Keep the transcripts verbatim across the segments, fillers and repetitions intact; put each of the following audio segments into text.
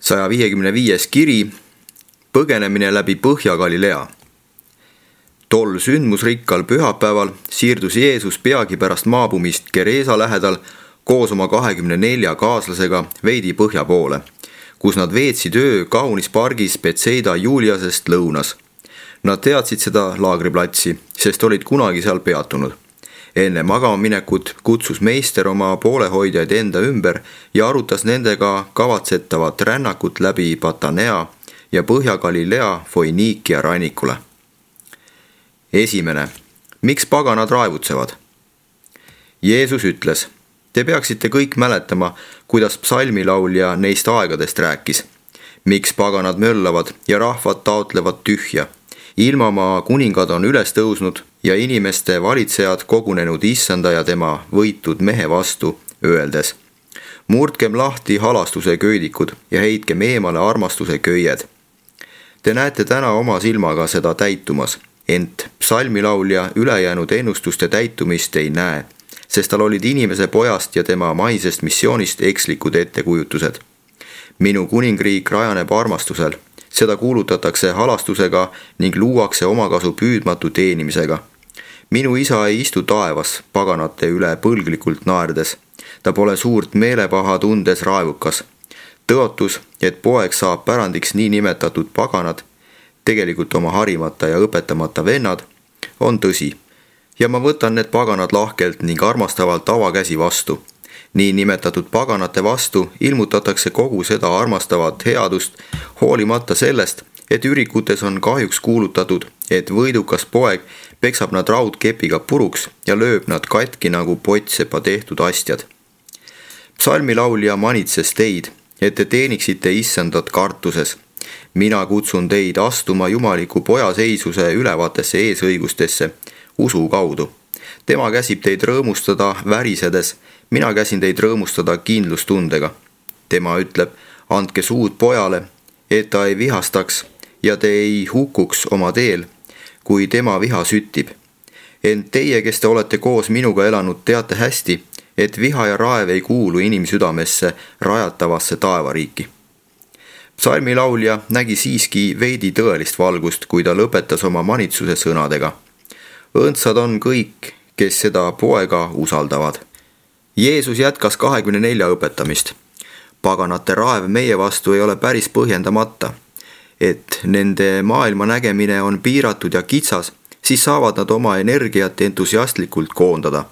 saja viiekümne viies kiri, põgenemine läbi Põhja-Galilea. Tol sündmusrikkal pühapäeval siirdus Jeesus peagi pärast maabumist Gereesa lähedal koos oma kahekümne nelja kaaslasega veidi põhja poole, kus nad veetsid öö kaunis pargis Betseida Juliasest lõunas. Nad teadsid seda laagriplatsi, sest olid kunagi seal peatunud. Enne magama minekut kutsus meister oma poolehoidjaid enda ümber ja arutas nendega kavatsetavat rännakut läbi Patanea ja Põhja-Galilea Foiniikia rannikule. Esimene. Miks paganad raevutsevad? Jeesus ütles, te peaksite kõik mäletama, kuidas psalmilaulja neist aegadest rääkis. Miks paganad möllavad ja rahvad taotlevad tühja? Ilmamaa kuningad on üles tõusnud ja inimeste valitsejad kogunenud issanda ja tema võitud mehe vastu, öeldes: murdkem lahti halastuse köidikud ja heitkem eemale armastuse köied. Te näete täna oma silmaga seda täitumas, ent psalmilaulja ülejäänud ennustuste täitumist ei näe, sest tal olid inimese pojast ja tema maisest missioonist ekslikud ettekujutused. Minu kuningriik rajaneb armastusel, seda kuulutatakse halastusega ning luuakse omakasu püüdmatu teenimisega. Minu isa ei istu taevas paganate üle põlglikult naerdes. Ta pole suurt meelepaha tundes raevukas. Tõotus, et poeg saab pärandiks nii nimetatud paganad, tegelikult oma harimata ja õpetamata vennad, on tõsi. Ja ma võtan need paganad lahkelt ning armastavalt avakäsi vastu. Nii nimetatud paganate vastu ilmutatakse kogu seda armastavat headust, hoolimata sellest, et ürikutes on kahjuks kuulutatud, et võidukas poeg peksab nad raudkepiga puruks ja lööb nad katki nagu pottsepa tehtud astjad. Psalmilaulja manitses teid, et te teeniksite issandat kartuses. Mina kutsun teid astuma jumaliku poja seisuse ülevaatesse eesõigustesse usu kaudu. Tema käsib teid rõõmustada värisedes, mina käsin teid rõõmustada kindlustundega. Tema ütleb, andke suud pojale, et ta ei vihastaks ja te ei hukuks oma teel, kui tema viha süttib. Ent teie, kes te olete koos minuga elanud, teate hästi, et viha ja raev ei kuulu inimsüdamesse rajatavasse taevariiki. Psalmilaulja nägi siiski veidi tõelist valgust, kui ta lõpetas oma manitsuse sõnadega. Õndsad on kõik, kes seda poega usaldavad. Jeesus jätkas kahekümne nelja õpetamist. Paganate raev meie vastu ei ole päris põhjendamata. Et nende maailma nägemine on piiratud ja kitsas, siis saavad nad oma energiat entusiastlikult koondada.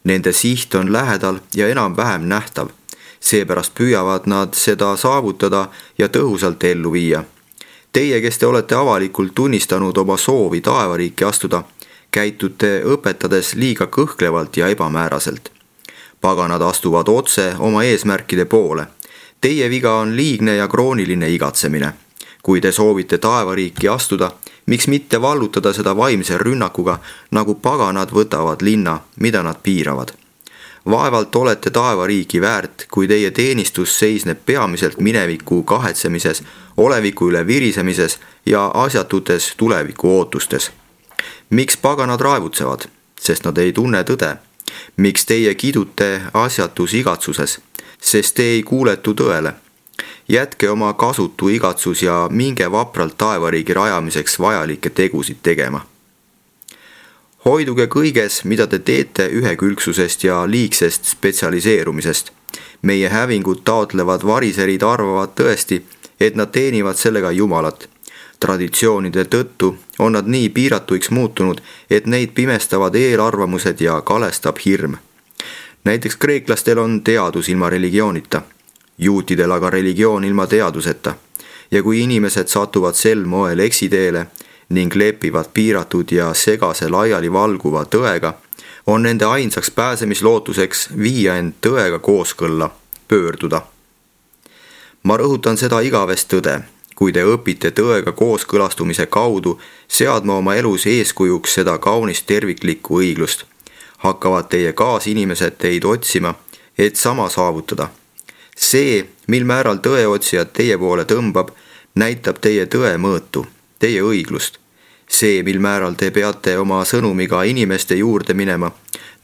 Nende siht on lähedal ja enam-vähem nähtav. Seepärast püüavad nad seda saavutada ja tõhusalt ellu viia. Teie, kes te olete avalikult tunnistanud oma soovi taevariiki astuda, käitute õpetades liiga kõhklevalt ja ebamääraselt. Paganad astuvad otse oma eesmärkide poole. Teie viga on liigne ja krooniline igatsemine. Kui te soovite taevariiki astuda, miks mitte vallutada seda vaimse rünnakuga, nagu paganad võtavad linna, mida nad piiravad. Vaevalt olete taevariiki väärt, kui teie teenistus seisneb peamiselt mineviku kahetsemises, oleviku üle virisemises ja asjatutes tuleviku ootustes. Miks paganad raevutsevad? Sest nad ei tunne tõde. Miks teie kidute asjatus igatsuses? Sest te ei kuuletu tõele. Jätke oma kasutu igatsus ja minge vapralt taevariigi rajamiseks vajalikke tegusid tegema. Hoiduge kõiges, mida te teete ühekülgsusest ja liigsest spetsialiseerumisest. Meie hävingud taotlevad variserid arvavad tõesti, et nad teenivad sellega Jumalat. Traditsioonide tõttu on nad nii piiratuiks muutunud, et neid pimestavad eelarvamused ja kalestab hirm. Näiteks kreeklastel on teadus ilma religioonita, juutidel aga religioon ilma teaduseta. Ja kui inimesed satuvad sel moel eksiteele ning lepivad piiratud ja segase laiali valguva tõega, on nende ainsaks pääsemislootuseks viia end tõega kooskõlla, pöörduda. Ma rõhutan seda igavest tõde. Kui te õpite tõega kooskõlastumise kaudu seadma oma elus eeskujuks seda kaunist terviklikku õiglust, hakkavad teie kaasinimesed teid otsima, et sama saavutada. See, mil määral tõeotsijad teie poole tõmbab, näitab teie tõe mõõtu, teie õiglust. See, mil määral te peate oma sõnumiga inimeste juurde minema,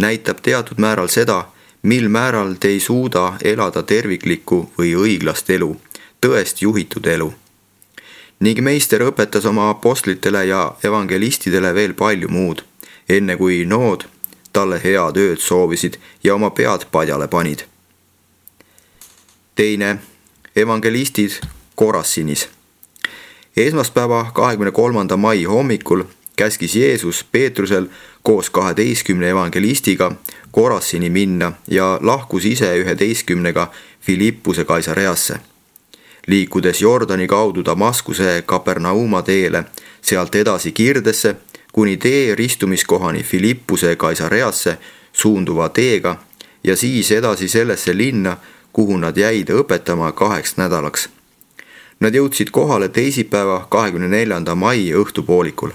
näitab teatud määral seda, mil määral te ei suuda elada terviklikku või õiglast elu, tõest juhitud elu. Ning meister õpetas oma apostlitele ja evangelistidele veel palju muud, enne kui nood talle head ööd soovisid ja oma pead padjale panid. Teine, evangelistid Korassinis. Esmaspäeva kahekümne kolmanda mai hommikul käskis Jeesus Peetrusel koos kaheteistkümne evangelistiga Korassini minna ja lahkus ise üheteistkümnega Filippuse Kaisareasse. Liikudes Jordani kaudu Damaskuse Kapernauma teele, sealt edasi Kirdesse, kuni tee ristumiskohani Filippuse Kaisareasse suunduva teega ja siis edasi sellesse linna, kuhu nad jäid õpetama kaheks nädalaks. Nad jõudsid kohale teisipäeva kahekümne neljanda mai õhtupoolikul.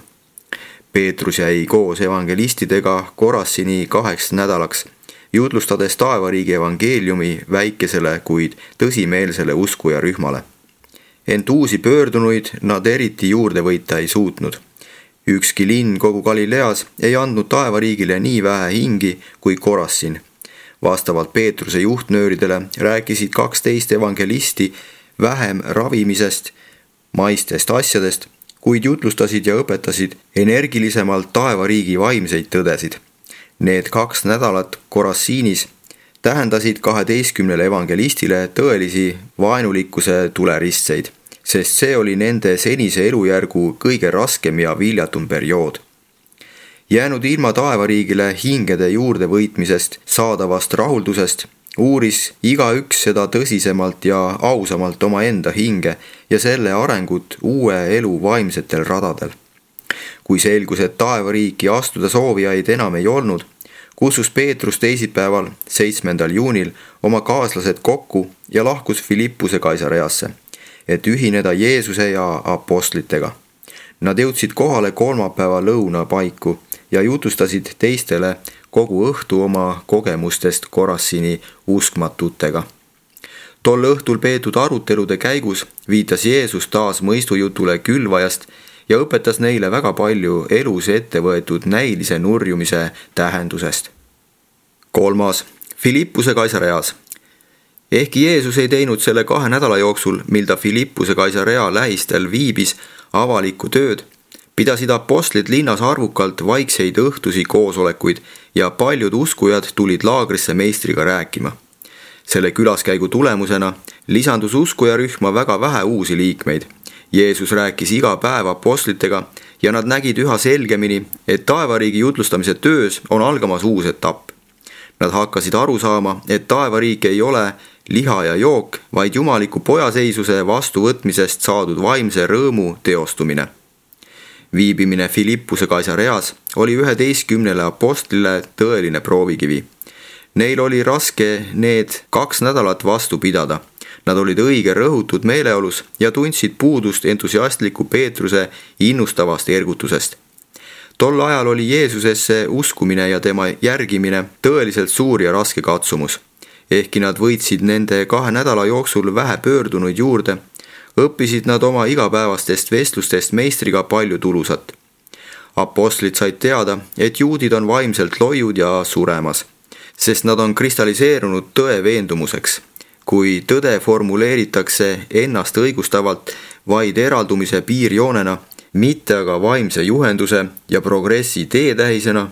Peetrus jäi koos evangelistidega Korassini kaheks nädalaks, jutlustades taevariigi evangeeliumi väikesele, kuid tõsimeelsele uskujarühmale. Ent uusi pöördunuid nad eriti juurde võita ei suutnud. Ükski linn kogu Galileas ei andnud taevariigile nii vähe hingi kui Korassin. Vastavalt Peetruse juhtnööridele rääkisid kaksteist evangelisti vähem ravimisest, maistest asjadest, kuid jutlustasid ja õpetasid energilisemalt taevariigi vaimseid tõdesid. Need kaks nädalat Korassiinis tähendasid kaheteistkümnele evangelistile tõelisi vaenulikkuse tuleristseid, sest see oli nende senise elujärgu kõige raskem ja viljatum periood. Jäänud ilma taevariigile hingede juurde võitmisest saadavast rahuldusest, uuris igaüks seda tõsisemalt ja ausamalt omaenda hinge ja selle arengut uue elu vaimsetel radadel. Kui selgus, et taevariiki astuda soovijaid enam ei olnud, kutsus Peetrus teisipäeval, seitsmendal juunil oma kaaslased kokku ja lahkus Filippuse Kaisareasse, et ühineda Jeesuse ja apostlitega. Nad jõudsid kohale kolmapäeva lõuna paiku ja jutustasid teistele kogu õhtu oma kogemustest Korassini uskmatutega. Tol õhtul peetud arutelude käigus viitas Jeesus taas mõistujutule külvajast ja õpetas neile väga palju elus ette võetud näilise nurjumise tähendusest. Kolmas, Filippuse Kaisareas. Ehkki Jeesus ei teinud selle kahe nädala jooksul, mil ta Filippuse Kaisarea lähistel viibis avalikku tööd, pidasid apostlid linnas arvukalt vaikseid õhtusi koosolekuid ja paljud uskujad tulid laagrisse meistriga rääkima. Selle külaskäigu tulemusena lisandus uskujarühma väga vähe uusi liikmeid. Jeesus rääkis iga päev apostlitega ja nad nägid üha selgemini, et taevariigi jutlustamise töös on algamas uus etapp. Nad hakkasid aru saama, et taevariik ei ole liha ja jook, vaid jumaliku pojaseisuse vastuvõtmisest saadud vaimse rõõmu teostumine. Viibimine Filippuse Kaisareas oli üheteistkümnele apostlile tõeline proovikivi. Neil oli raske need kaks nädalat vastu pidada. Nad olid õige rõhutud meeleolus ja tundsid puudust entusiastliku Peetruse innustavast ergutusest. Tol ajal oli Jeesusesse uskumine ja tema järgimine tõeliselt suur ja raske katsumus. Ehkki nad võitsid nende kahe nädala jooksul vähe pöördunuid juurde, õppisid nad oma igapäevastest vestlustest meistriga palju tulusat. Apostlid said teada, et juudid on vaimselt loiud ja suremas, sest nad on kristalliseerunud tõe veendumuseks. Kui tõde formuleeritakse ennast õigustavalt vaid eraldumise piirjoonena, mitte aga vaimse juhenduse ja progressi teetähisena,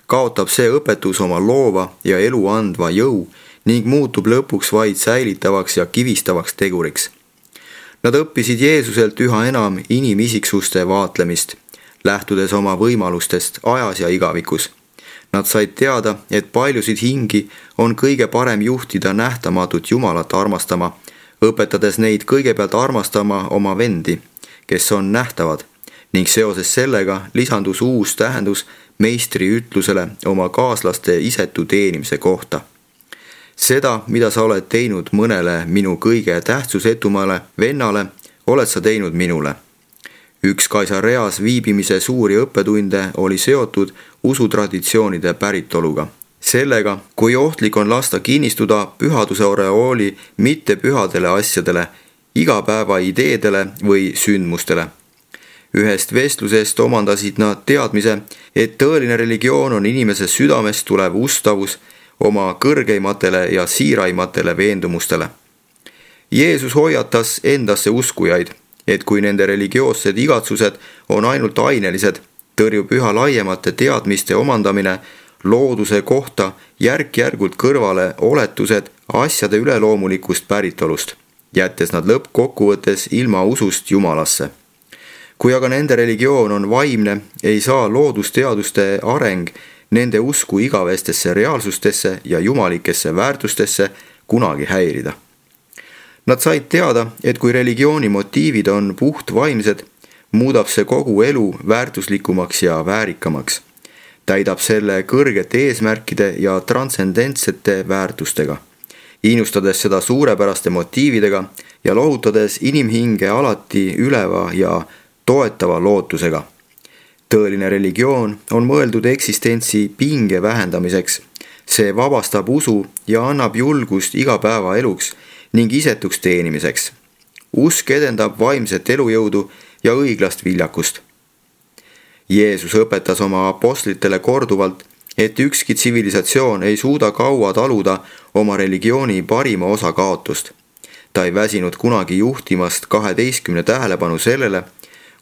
kaotab see õpetus oma loova ja elu andva jõu ning muutub lõpuks vaid säilitavaks ja kivistavaks teguriks. Nad õppisid Jeesuselt üha enam inimisiksuste vaatlemist, lähtudes oma võimalustest ajas ja igavikus. Nad said teada, et paljusid hingi on kõige parem juhtida nähtamatut Jumalat armastama, õpetades neid kõigepealt armastama oma vendi, kes on nähtavad, ning seoses sellega lisandus uus tähendus meistri ütlusele oma kaaslaste isetu teenimise kohta. Seda, mida sa oled teinud mõnele minu kõige tähtsusetumale vennale, oled sa teinud minule. Üks Kaisareas viibimise suuri õppetunde oli seotud usutraditsioonide päritoluga. Sellega, kui ohtlik on lasta kinnistuda pühaduse oreooli mitte pühadele asjadele, igapäeva ideedele või sündmustele. Ühest vestlusest omandasid nad teadmise, et tõeline religioon on inimese südamest tulev ustavus oma kõrgeimatele ja siiraimatele veendumustele. Jeesus hoiatas endasse uskujaid, et kui nende religioossed igatsused on ainult ainelised, tõrjub üha laiemate teadmiste omandamine looduse kohta järk-järgult kõrvale oletused asjade üleloomulikust päritolust, jättes nad lõppkokkuvõttes ilma usust Jumalasse. Kui aga nende religioon on vaimne, ei saa loodusteaduste areng nende usku igavestesse reaalsustesse ja jumalikesse väärtustesse kunagi häirida. Nad said teada, et kui religiooni motiivid on puht vaimsed, muudab see kogu elu väärtuslikumaks ja väärikamaks. Täidab selle kõrgete eesmärkide ja transcendentsete väärtustega, innustades seda suurepäraste motiividega ja lohutades inimhinge alati üleva ja toetava lootusega. Tõeline religioon on mõeldud eksistentsi pinge vähendamiseks. See vabastab usu ja annab julgust igapäevaeluks ning isetuks teenimiseks. Usk edendab vaimset elujõudu ja õiglast viljakust. Jeesus õpetas oma apostlitele korduvalt, et ükski tsivilisatsioon ei suuda kaua taluda oma religiooni parima osa kaotust. Ta ei väsinud kunagi juhtimast kaheteistkümne tähelepanu sellele,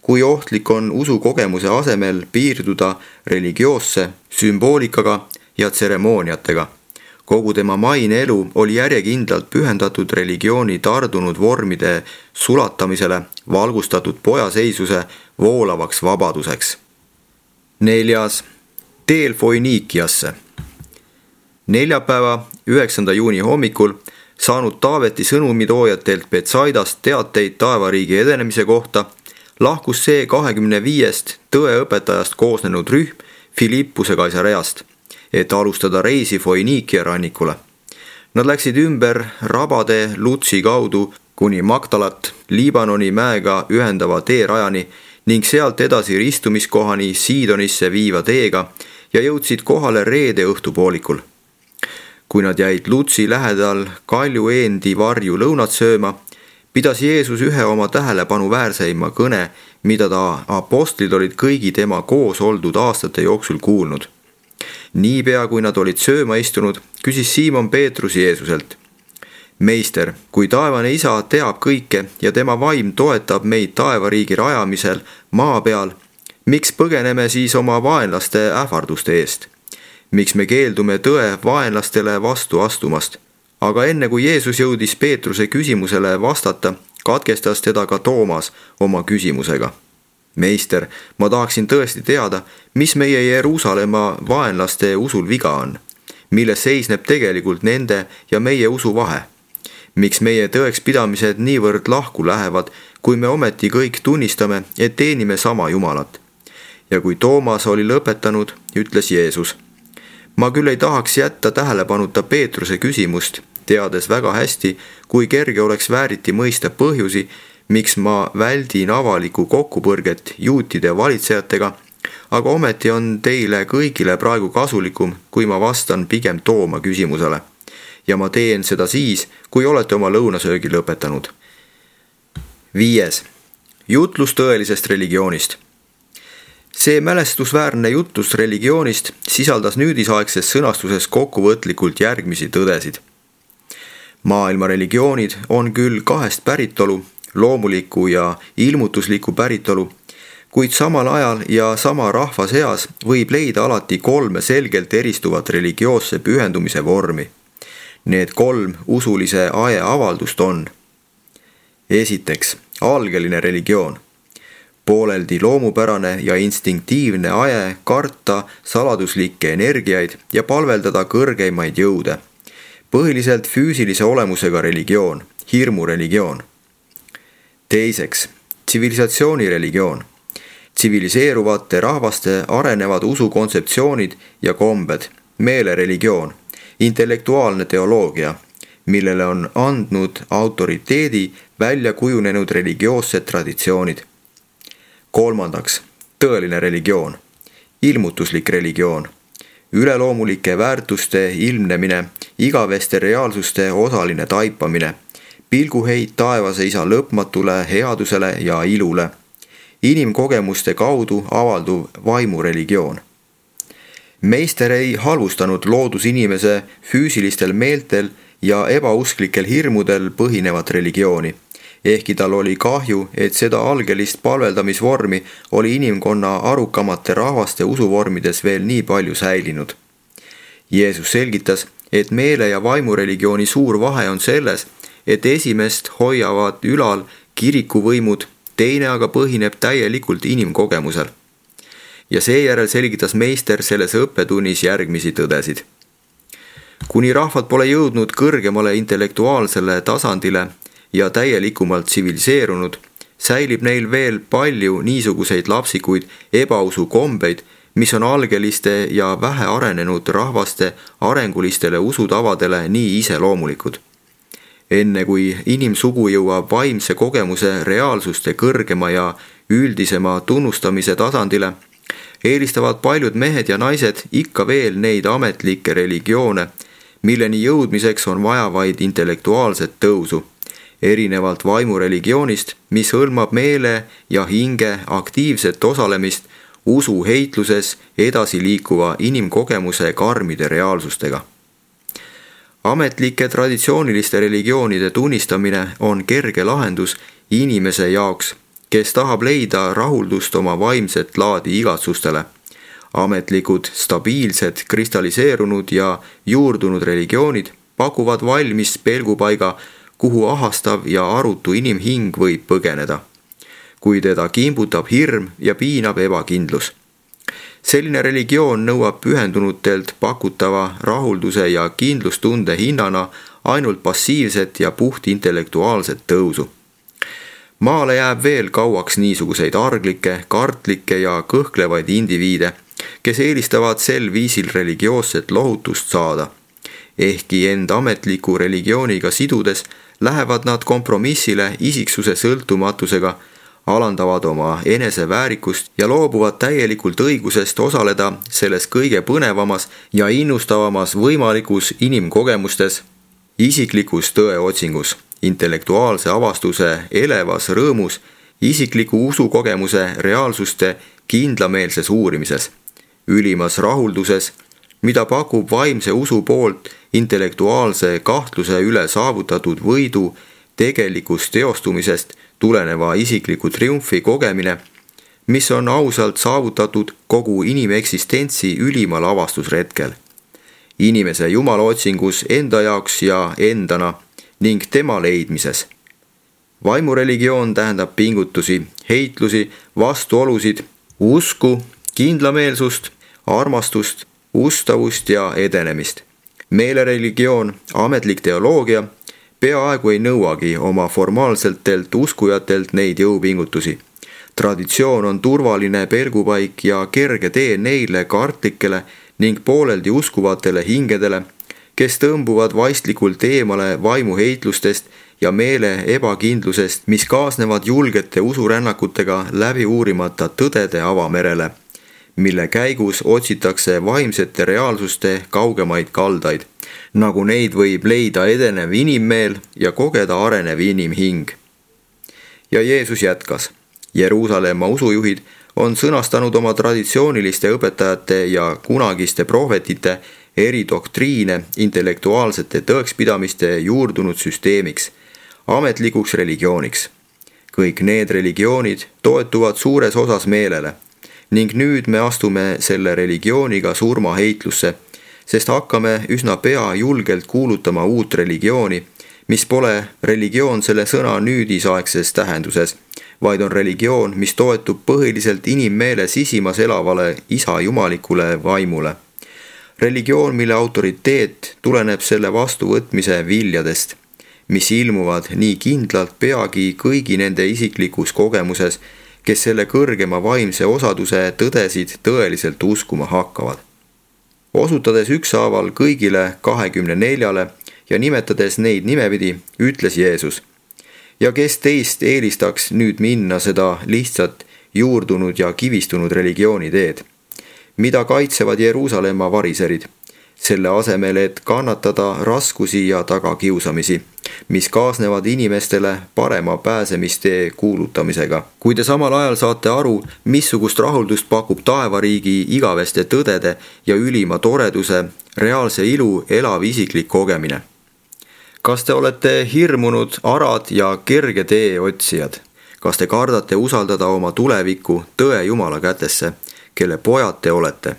kui ohtlik on usukogemuse asemel piirduda religioosse sümboolikaga ja tseremooniatega. Kogu tema maine elu oli järjekindlalt pühendatud religiooni tardunud vormide sulatamisele, valgustatud pojaseisuse voolavaks vabaduseks. Neljas. Teel Foiniikiasse. Neljapäeva, üheksanda juuni hommikul saanud Taaveti sõnumitoojatelt Betsaidast teateid taevariigi edenemise kohta, lahkus see kahekümne viiest tõeõpetajast koosnenud rühm Filippuse Kaisareast, et alustada reisi Foiniikia rannikule. Nad läksid ümber rabade Lutsi kaudu kuni Magdalat Liibanoni mäega ühendava teerajani ning sealt edasi ristumiskohani Siidonisse viiva teega ja jõudsid kohale reede õhtupoolikul. Kui nad jäid Lutsi lähedal Kalju eendi varju lõunat sööma, pidas Jeesus ühe oma tähelepanu väärseima kõne, mida ta apostlid olid kõigi tema koos oldud aastate jooksul kuulnud. Niipea kui nad olid sööma istunud, küsis Siimon Peetrus Jeesuselt: Meister, kui taevane isa teab kõike ja tema vaim toetab meid taevariigi rajamisel maa peal, miks põgeneme siis oma vaenlaste ähvarduste eest? Miks me keeldume tõe vaenlastele vastu astumast? Aga enne kui Jeesus jõudis Peetruse küsimusele vastata, katkestas teda ka Toomas oma küsimusega. Meister, ma tahaksin tõesti teada, mis meie Jeruusalemma vaenlaste usul viga on, milles seisneb tegelikult nende ja meie usu vahe. Miks meie tõekspidamised niivõrd lahku lähevad, kui me ometi kõik tunnistame, et teenime sama Jumalat? Ja kui Toomas oli lõpetanud, ütles Jeesus: Ma küll ei tahaks jätta tähelepanuta Peetruse küsimust, teades väga hästi, kui kerge oleks vääriti mõista põhjusi, miks ma väldin avalikku kokkupõrget juutide valitsejatega, aga ometi on teile kõigile praegu kasulikum, kui ma vastan pigem Tooma küsimusele. Ja ma teen seda siis, kui olete oma lõunasöögi lõpetanud. Viies. Jutlus tõelisest religioonist. See mälestusväärne jutlus religioonist sisaldas nüüdisaegses sõnastuses kokkuvõtlikult järgmisi tõdesid. Maailma religioonid on küll kahest päritolu, loomuliku ja ilmutusliku päritolu, kuid samal ajal ja sama rahva seas võib leida alati kolme selgelt eristuvat religioosse pühendumise vormi. Need kolm usulise ae avaldust on: esiteks, algeline religioon. Pooleldi loomupärane ja instinktiivne ae karta saladuslikke energiaid ja palveldada kõrgeimaid jõude. Põhiliselt füüsilise olemusega religioon, hirmureligioon. Teiseks, tsivilisatsiooni religioon. Tsiviliseeruvate rahvaste arenevad usukontseptsioonid ja kombed, meelereligioon, intellektuaalne teoloogia, millele on andnud autoriteedi välja kujunenud religioossed traditsioonid. Kolmandaks, tõeline religioon, ilmutuslik religioon, üleloomulike väärtuste ilmnemine, igaveste reaalsuste osaline taipamine, pilguheit taevase isa lõpmatule headusele ja ilule, inimkogemuste kaudu avalduv vaimureligioon. Meister ei halvustanud loodusinimese füüsilistel meeltel ja ebausklikel hirmudel põhinevat religiooni, ehkki tal oli kahju, et seda algelist palveldamisvormi oli inimkonna arukamate rahvaste usuvormides veel nii palju säilinud. Jeesus selgitas, et meele- ja vaimureligiooni suur vahe on selles, et esimest hoiavad ülal kirikuvõimud, teine aga põhineb täielikult inimkogemusel. Ja seejärel selgitas meister selles õppetunnis järgmisi tõdesid. Kuni rahvad pole jõudnud kõrgemale intellektuaalsele tasandile ja täielikumalt tsiviliseerunud, säilib neil veel palju niisuguseid lapsikuid ebausu kombeid, mis on algeliste ja vähe arenenud rahvaste arengulistele usutavadele nii iseloomulikud. Enne kui inimsugu jõuab vaimse kogemuse reaalsuste kõrgema ja üldisema tunnustamise tasandile, eelistavad paljud mehed ja naised ikka veel neid ametlikke religioone, milleni jõudmiseks on vaja vaid intellektuaalset tõusu, erinevalt vaimureligioonist, mis hõlmab meele ja hinge aktiivset osalemist usu heitluses edasi liikuva inimkogemuse karmide reaalsustega. Ametlike traditsiooniliste religioonide tunnistamine on kerge lahendus inimese jaoks, kes tahab leida rahuldust oma vaimset laadi igatsustele. Ametlikud, stabiilsed, kristalliseerunud ja juurdunud religioonid pakuvad valmis pelgupaiga, kuhu ahastav ja arutu inimhing võib põgeneda, kui teda kimbutab hirm ja piinab ebakindlus. Selline religioon nõuab pühendunutelt pakutava rahulduse ja kindlustunde hinnana ainult passiivset ja puht intellektuaalset tõusu. Maale jääb veel kauaks niisuguseid arglikke, kartlikke ja kõhklevaid indiviide, kes eelistavad sel viisil religioosset lohutust saada. Ehkki end ametliku religiooniga sidudes lähevad nad kompromissile isiksuse sõltumatusega, alandavad oma eneseväärikust ja loobuvad täielikult õigusest osaleda selles kõige põnevamas ja innustavamas võimalikus inimkogemustes, isiklikus tõeotsingus, intellektuaalse avastuse elevas rõõmus, isikliku usukogemuse reaalsuste kindlameelses uurimises, ülimas rahulduses, mida pakub vaimse usu poolt intellektuaalse kahtluse üle saavutatud võidu tegelikust teostumisest tuleneva isikliku triumfi kogemine, mis on ausalt saavutatud kogu inimeksistentsi ülimal avastusretkel. Inimese jumalaotsingus enda jaoks ja endana ning tema leidmises. Vaimureligioon tähendab pingutusi, heitlusi, vastuolusid, usku, kindlameelsust, armastust, ustavust ja edenemist. Meelereligioon, ametlik teoloogia, peaaegu ei nõuagi oma formaalseltelt uskujatelt neid jõupingutusi. Traditsioon on turvaline pelgupaik ja kerge tee neile kartlikele ning pooleldi uskuvatele hingedele, kes tõmbuvad vaistlikult eemale vaimuheitlustest ja meele ebakindlusest, mis kaasnevad julgete usurännakutega läbi uurimata tõdede avamerele, mille käigus otsitakse vaimsete reaalsuste kaugemaid kaldaid, nagu neid võib leida edenev inimmeel ja kogeda arenev inimhing. Ja Jeesus jätkas. Jeruusalemma usujuhid on sõnastanud oma traditsiooniliste õpetajate ja kunagiste prohvetite eri doktriine intellektuaalsete tõekspidamiste juurdunud süsteemiks, ametlikuks religiooniks. Kõik need religioonid toetuvad suures osas meelele ning nüüd me astume selle religiooniga surmaheitlusse, sest hakkame üsna pea julgelt kuulutama uut religiooni, mis pole religioon selle sõna nüüdisaegses tähenduses, vaid on religioon, mis toetub põhiliselt inimmeele sisimas elavale isa jumalikule vaimule. Religioon, mille autoriteet tuleneb selle vastuvõtmise viljadest, mis ilmuvad nii kindlalt peagi kõigi nende isiklikus kogemuses, kes selle kõrgema vaimse osaduse tõdesid tõeliselt uskuma hakkavad. Osutades ükshaaval kõigile kahekümne neljale ja nimetades neid nimepidi, ütles Jeesus: ja kes teist eelistaks nüüd minna seda lihtsalt juurdunud ja kivistunud religiooni teed, mida kaitsevad Jeruusalemma variserid, selle asemel, et kannatada raskusi ja tagakiusamisi, mis kaasnevad inimestele parema pääsemistee kuulutamisega. Kui te samal ajal saate aru, missugust rahuldust pakub taevariigi igaveste tõdede ja ülima toreduse, reaalse ilu elav isiklik kogemine. kas te olete hirmunud arad ja kerge tee otsijad? Kas te kardate usaldada oma tulevikku tõe Jumala kätesse, kelle pojad te olete?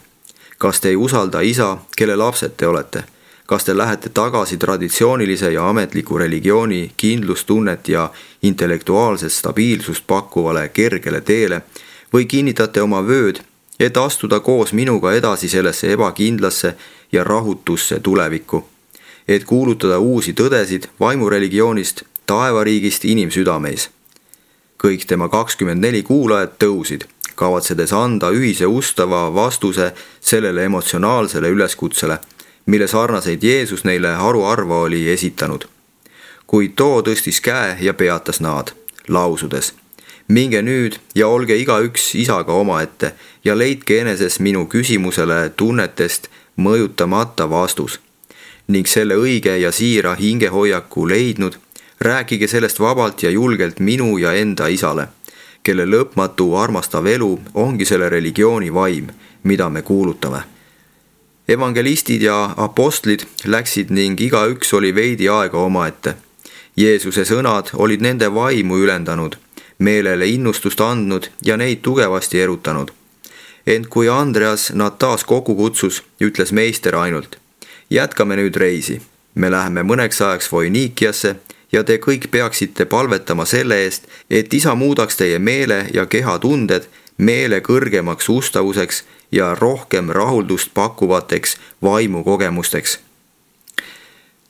Kas te ei usalda isa, kelle lapsed te olete? Kas te lähete tagasi traditsioonilise ja ametliku religiooni kindlustunnet ja intellektuaalset stabiilsust pakkuvale kergele teele või kinnitate oma vööd, et astuda koos minuga edasi sellesse ebakindlasse ja rahutusse tulevikku, et kuulutada uusi tõdesid vaimureligioonist, taevariigist inimsüdameis? Kõik tema kakskümmend neli kuulajat tõusid, kavatsedes anda ühise ustava vastuse sellele emotsionaalsele üleskutsele, mille sarnaseid Jeesus neile haruharva oli esitanud. Kuid too tõstis käe ja peatas nad, lausudes: minge nüüd ja olge igaüks isaga omaette ja leidke eneses minu küsimusele tunnetest mõjutamata vastus. Ning selle õige ja siira hingehoiaku leidnud, rääkige sellest vabalt ja julgelt minu ja enda isale, kelle lõpmatu armastav elu ongi selle religiooni vaim, mida me kuulutame. Evangelistid ja apostlid läksid ning igaüks oli veidi aega omaette. Jeesuse sõnad olid nende vaimu ülendanud, meelele innustust andnud ja neid tugevasti erutanud. Ent kui Andreas nad taas kokku kutsus, ütles meister ainult: jätkame nüüd reisi. Me läheme mõneks ajaks Foinikiasse ja te kõik peaksite palvetama selle eest, et isa muudaks teie meele ja keha tunded meele kõrgemaks ustavuseks ja rohkem rahuldust pakkuvateks vaimukogemusteks.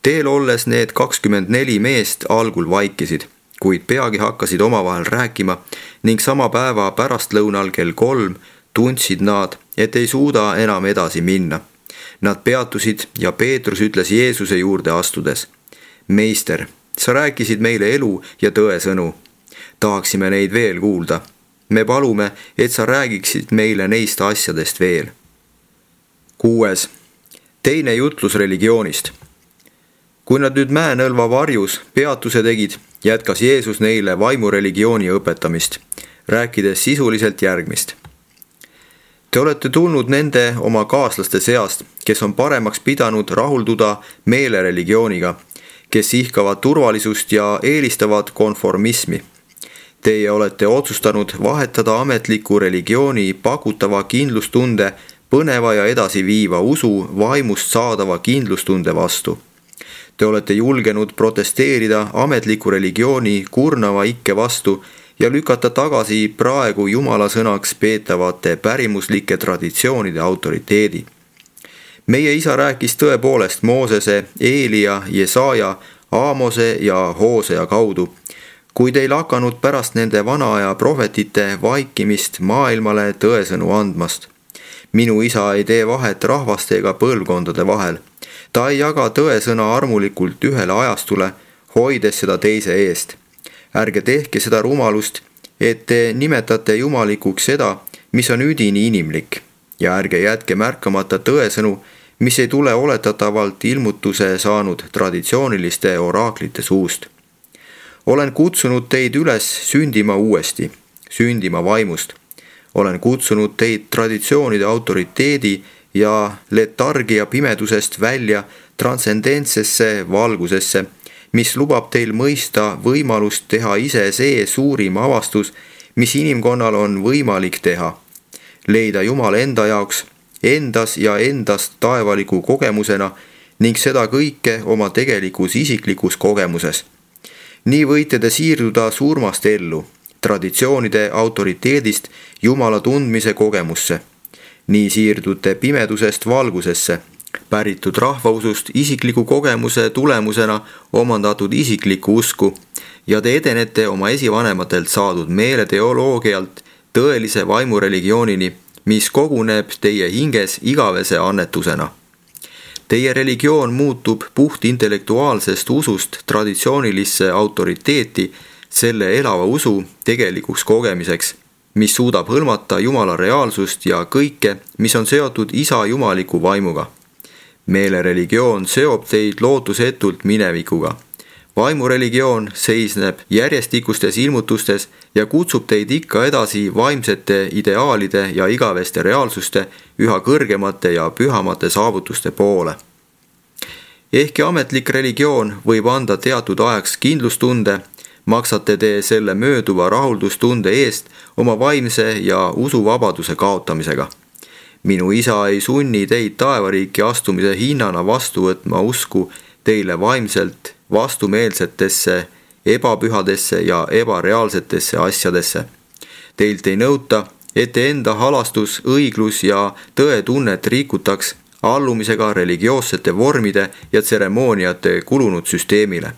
Teel olles need kakskümmend neli meest algul vaikisid, kuid peagi hakkasid omavahel rääkima ning sama päeva pärastlõunal kell kolm tundsid nad, et ei suuda enam edasi minna. Nad peatusid ja Peetrus ütles Jeesuse juurde astudes: meister, sa rääkisid meile elu ja tõe sõnu. Tahaksime neid veel kuulda. Me palume, et sa räägiksid meile neist asjadest veel. Kuues. Teine jutlus religioonist. Kui nad nüüd Mäenõlva varjus peatuse tegid, jätkas Jeesus neile vaimureligiooni õpetamist, rääkides sisuliselt järgmist. Te olete tulnud nende oma kaaslaste seast, kes on paremaks pidanud rahulduda meelereligiooniga, kes ihkavad turvalisust ja eelistavad konformismi. Teie olete otsustanud vahetada ametliku religiooni pakutava kindlustunde põneva ja edasiviiva usu vaimust saadava kindlustunde vastu. Te olete julgenud protesteerida ametliku religiooni kurnava ikke vastu ja lükata tagasi praegu Jumala sõnaks peetavate pärimuslike traditsioonide autoriteedi. Meie isa rääkis tõepoolest Moosese, Eelia, Jesaja, Aamose ja Hoosea kaudu, kuid ei lakanud pärast nende vanaaja prohvetite vaikimist maailmale tõesõnu andmast. Minu isa ei tee vahet rahvaste ega põlvkondade vahel. Ta ei jaga tõesõna armulikult ühele ajastule, hoides seda teise eest. Ärge tehke seda rumalust, et te nimetate jumalikuks seda, mis on üdini inimlik, ja ärge jätke märkamata tõesõnu, mis ei tule oletatavalt ilmutuse saanud traditsiooniliste oraaklite suust. Olen kutsunud teid üles sündima uuesti, sündima vaimust. Olen kutsunud teid traditsioonide autoriteedi ja letargia pimedusest välja transcendentsesse valgusesse, mis lubab teil mõista võimalust teha ise see suurim avastus, mis inimkonnal on võimalik teha. Leida Jumal enda jaoks, endas ja endast taevaliku kogemusena ning seda kõike oma tegelikus isiklikus kogemuses. Nii võite te siirduda surmast ellu, traditsioonide autoriteedist Jumala tundmise kogemusse. Nii siirdute pimedusest valgusesse, päritud rahvausust isikliku kogemuse tulemusena omandatud isiklikku usku ja te edenete oma esivanematelt saadud meeleteoloogialt tõelise vaimureligioonini, mis koguneb teie hinges igavese annetusena. Teie religioon muutub puht intellektuaalsest usust traditsioonilisse autoriteeti selle elava usu tegelikuks kogemiseks, mis suudab hõlmata Jumala reaalsust ja kõike, mis on seotud isa jumaliku vaimuga. Meelereligioon seob teid lootusetult minevikuga. Vaimureligioon seisneb järjestikustes ilmutustes ja kutsub teid ikka edasi vaimsete ideaalide ja igaveste reaalsuste üha kõrgemate ja pühamate saavutuste poole. Ehkki ametlik religioon võib anda teatud ajaks kindlustunde, maksate te selle mööduva rahuldustunde eest oma vaimse ja usuvabaduse kaotamisega. Minu isa ei sunni teid taevariiki astumise hinnana vastu võtma usku teile vaimselt vastumeelsetesse, ebapühadesse ja ebareaalsetesse asjadesse. Teilt ei nõuta, et te enda halastus, õiglus ja tõetunnet rikutaks allumisega religioossete vormide ja tseremooniate kulunud süsteemile.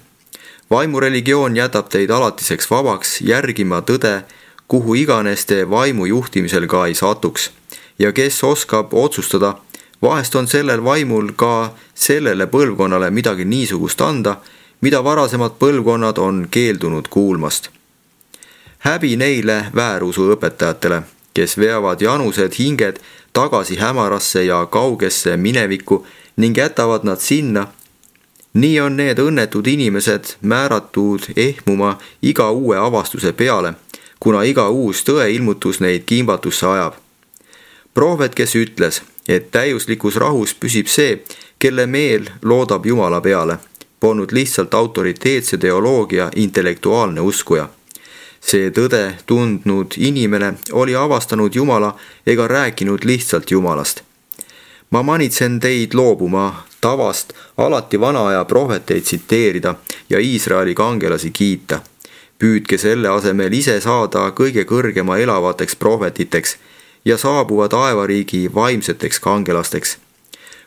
Vaimureligioon jätab teid alatiseks vabaks järgima tõde, kuhu iganes te vaimu juhtimisel ka ei satuks. Ja kes oskab otsustada, vahest on sellel vaimul ka sellele põlvkonnale midagi niisugust anda, mida varasemad põlvkonnad on keeldunud kuulmast. Häbi neile väärusu õpetajatele, kes veavad janused hinged tagasi hämarasse ja kaugesse minevikku ning jätavad nad sinna. Nii on need õnnetud inimesed määratud ehmuma iga uue avastuse peale, kuna iga uus tõeilmutus neid kimbatusse ajab. Prohvet, kes ütles, et täiuslikus rahus püsib see, kelle meel loodab Jumala peale, polnud lihtsalt autoriteetse teoloogia intellektuaalne uskuja. See tõde tundnud inimene oli avastanud Jumala ega rääkinud lihtsalt Jumalast. Ma manitsen teid loobuma tavast alati vana aja prohveteid tsiteerida ja Iisraeli kangelasi kiita. Püüdke selle asemel ise saada kõige kõrgema elavateks prohvetiteks ja saabuva taevariigi vaimseteks kangelasteks.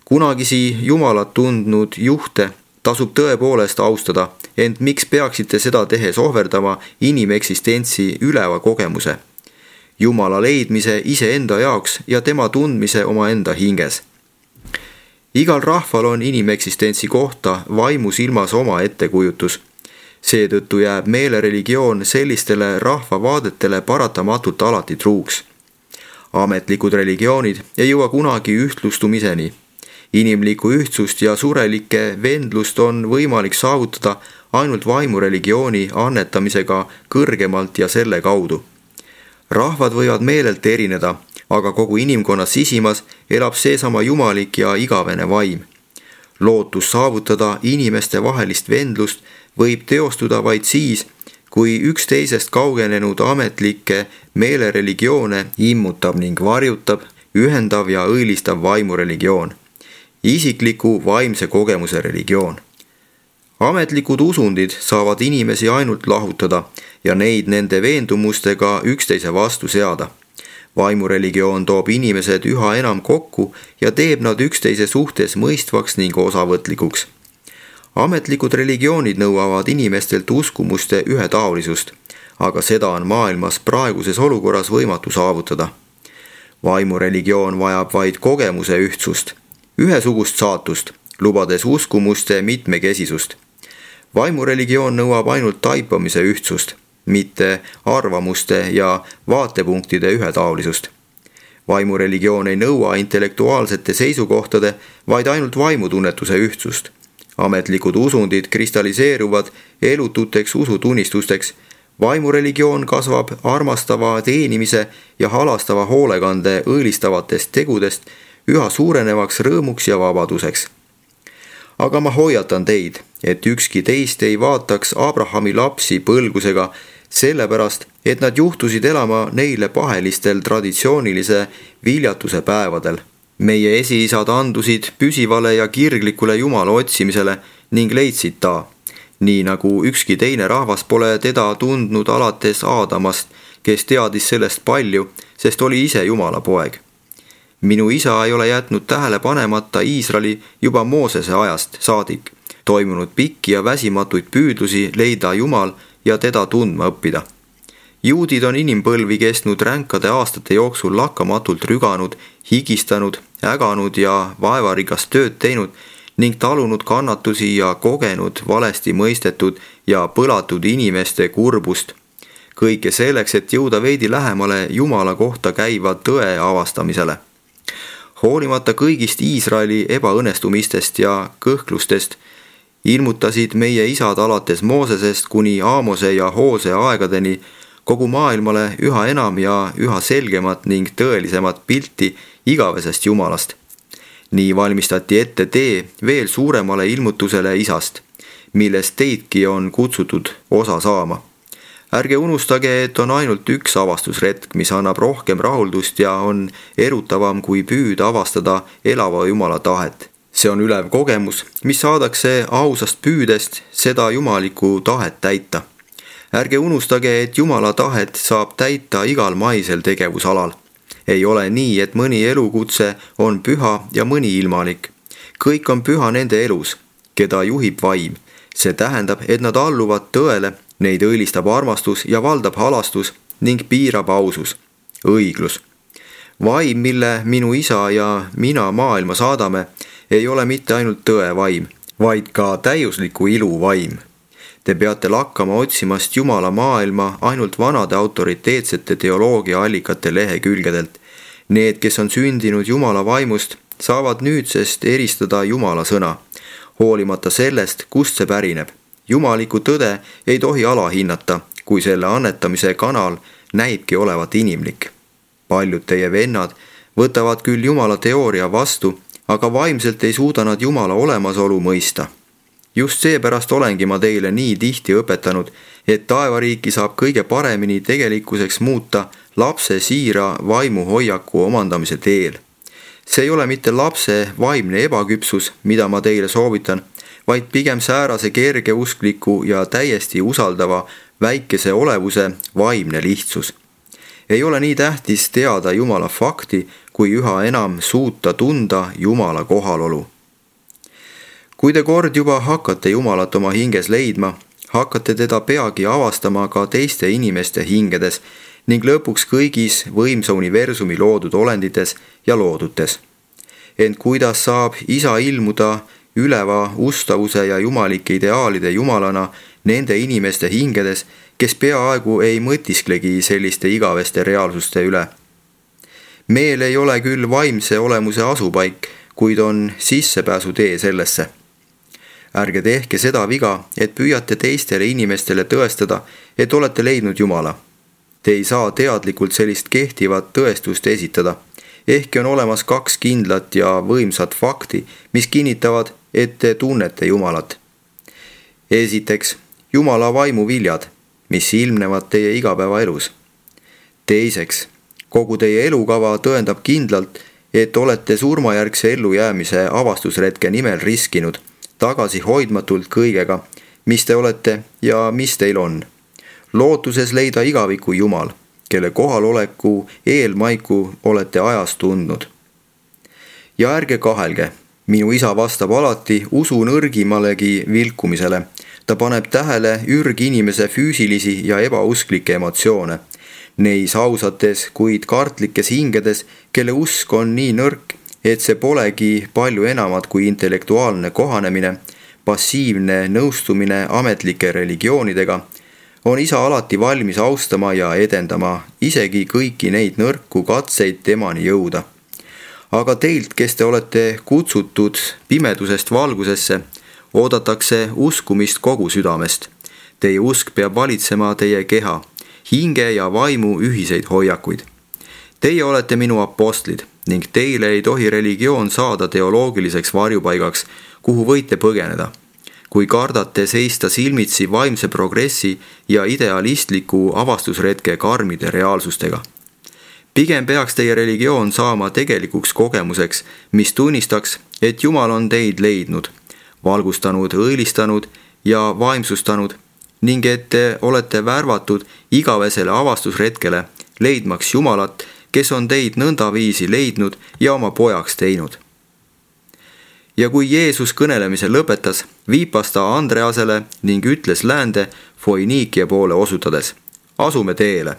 Kunagisi Jumalat tundnud juhte tasub tõepoolest austada, ent miks peaksite seda tehes ohverdama inimeksistentsi üleva kogemuse, Jumala leidmise iseenda jaoks ja tema tundmise omaenda hinges. Igal rahval on inimeksistentsi kohta vaimus ilmas oma ettekujutus. Seetõttu jääb meelereligioon sellistele rahvavaadetele paratamatult alati truuks. Ametlikud religioonid ei jõua kunagi ühtlustumiseni. Inimlikku ühtsust ja surelikke vendlust on võimalik saavutada ainult vaimureligiooni annetamisega kõrgemalt ja selle kaudu. Rahvad võivad meelelt erineda, aga kogu inimkonna sisimas elab seesama jumalik ja igavene vaim. Lootus saavutada inimeste vahelist vendlust võib teostuda vaid siis, kui üks teisest kaugenenud ametlikke meelereligioone immutab ning varjutab ühendav ja õilistav vaimureligioon. Isikliku vaimse kogemuse religioon. Ametlikud usundid saavad inimesi ainult lahutada ja neid nende veendumustega üksteise vastu seada. Vaimureligioon toob inimesed üha enam kokku ja teeb nad üksteise suhtes mõistvaks ning osavõtlikuks. Ametlikud religioonid nõuavad inimestelt uskumuste ühetaolisust, aga seda on maailmas praeguses olukorras võimatu saavutada. Vaimureligioon vajab vaid kogemuse ühtsust, ühesugust saatust, lubades uskumuste mitmekesisust. Vaimureligioon nõuab ainult taipamise ühtsust, mitte arvamuste ja vaatepunktide ühetaolisust. Vaimureligioon ei nõua intellektuaalsete seisukohtade, vaid ainult vaimutunnetuse ühtsust. Ametlikud usundid kristalliseeruvad elututeks usutunnistusteks. Vaimureligioon kasvab armastava teenimise ja halastava hoolekande õilistavatest tegudest üha suurenevaks rõõmuks ja vabaduseks. Aga ma hoiatan teid, et ükski teist ei vaataks Abrahami lapsi põlgusega, sellepärast, et nad juhtusid elama neile pahelistel traditsioonilise viljatuse päevadel. Meie esiisad andusid püsivale ja kirglikule Jumala otsimisele ning leidsid ta, nii nagu ükski teine rahvas pole teda tundnud alates Aadamast, kes teadis sellest palju, sest oli ise Jumala poeg. Minu isa ei ole jätnud tähele panemata Iisraeli juba Moosese ajast saadik, toimunud pikki ja väsimatuid püüdlusi leida Jumal ja teda tundma õppida. Juudid on inimpõlvi kestnud ränkade aastate jooksul lakkamatult rüganud, higistanud, äganud ja vaevarikast tööd teinud ning talunud kannatusi ja kogenud valesti mõistetud ja põlatud inimeste kurbust. Kõike selleks, et jõuda veidi lähemale Jumala kohta käiva tõe avastamisele. Hoolimata kõigist Iisraeli ebaõnnestumistest ja kõhklustest, ilmutasid meie isad alates Moosesest kuni Aamose ja Hoose aegadeni kogu maailmale üha enam ja üha selgemat ning tõelisemat pilti igavesest Jumalast. nii valmistati ette tee veel suuremale ilmutusele Isast, millest teidki on kutsutud osa saama. Ärge unustage, et on ainult üks avastusretk, mis annab rohkem rahuldust ja on erutavam kui püüda avastada elava Jumala tahet. See on ülev kogemus, mis saadakse ausast püüdest seda jumalikku tahet täita. Ärge unustage, et Jumala tahet saab täita igal maisel tegevusalal. Ei ole nii, et mõni elukutse on püha ja mõni ilmalik. Kõik on püha nende elus, keda juhib vaim. See tähendab, et nad alluvad tõele, neid õilistab armastus ja valdab halastus ning piirab ausus, õiglus. Vaim, mille minu isa ja mina maailma saadame, ei ole mitte ainult tõe vaim, vaid ka täiusliku ilu vaim. Te peate lakkama otsimast Jumala maailma ainult vanade autoriteetsete teoloogia allikate lehekülgedelt. Need, kes on sündinud Jumala vaimust, saavad nüüdsest eristada Jumala sõna, hoolimata sellest, kust see pärineb. Jumaliku tõde ei tohi alahinnata, kui selle annetamise kanal näibki olevat inimlik. Paljud teie vennad võtavad küll Jumala teooria vastu, aga vaimselt ei suuda nad Jumala olemasolu mõista. Just seepärast olengi ma teile nii tihti õpetanud, et taevariiki saab kõige paremini tegelikkuseks muuta lapse siira vaimuhoiaku omandamise teel. See ei ole mitte lapse vaimne ebaküpsus, mida ma teile soovitan, vaid pigem säärase kergeuskliku ja täiesti usaldava väikese olevuse vaimne lihtsus. Ei ole nii tähtis teada Jumala fakti, kui üha enam suuta tunda Jumala kohalolu. Kui te kord juba hakkate Jumalat oma hinges leidma, hakkate teda peagi avastama ka teiste inimeste hingedes ning lõpuks kõigis võimsa universumi loodud olendites ja loodutes. Ent kuidas saab isa ilmuda üleva ustavuse ja jumalike ideaalide jumalana nende inimeste hingedes, kes peaaegu ei mõtisklegi selliste igaveste reaalsuste üle? Meel ei ole küll vaimse olemuse asupaik, kuid on sissepääsutee sellesse. Ärge tehke seda viga, et püüate teistele inimestele tõestada, et olete leidnud Jumala. Te ei saa teadlikult sellist kehtivat tõestust esitada. Ehkki on olemas kaks kindlat ja võimsat fakti, mis kinnitavad, et te tunnete Jumalat. Esiteks, Jumala vaimu viljad, mis ilmnevad teie igapäevaelus. Teiseks, kogu teie elukava tõendab kindlalt, et olete surmajärgse ellujäämise avastusretke nimel riskinud, tagasi hoidmatult kõigega, mis te olete ja mis teil on. Lootuses leida igaviku Jumal, kelle kohaloleku eelmaiku olete ajas tundnud. Ja ärge kahelge, minu isa vastab alati usu nõrgimalegi vilkumisele. Ta paneb tähele ürginimese füüsilisi ja ebausklikke emotsioone. Neis ausates, kuid kartlikes hingedes, kelle usk on nii nõrk, et see polegi palju enamat kui intellektuaalne kohanemine, passiivne nõustumine ametlike religioonidega, on isa alati valmis austama ja edendama isegi kõiki neid nõrku katseid temani jõuda. Aga teilt, kes te olete kutsutud pimedusest valgusesse, oodatakse uskumist kogu südamest. Teie usk peab valitsema teie keha, hinge ja vaimu ühiseid hoiakuid. Teie olete minu apostlid ning teile ei tohi religioon saada teoloogiliseks varjupaigaks, kuhu võite põgeneda. Kui kardate seista silmitsi vaimse progressi ja idealistliku avastusretke karmide reaalsustega. Pigem peaks teie religioon saama tegelikuks kogemuseks, mis tunnistaks, et Jumal on teid leidnud, valgustanud, õilistanud ja vaimsustanud ning et te olete värvatud igavesele avastusretkele, leidmaks Jumalat, kes on teid nõndaviisi leidnud ja oma pojaks teinud. Ja kui Jeesus kõnelemise lõpetas, viipas ta Andreasele ning ütles läände Foiniikia poole osutades, asume teele.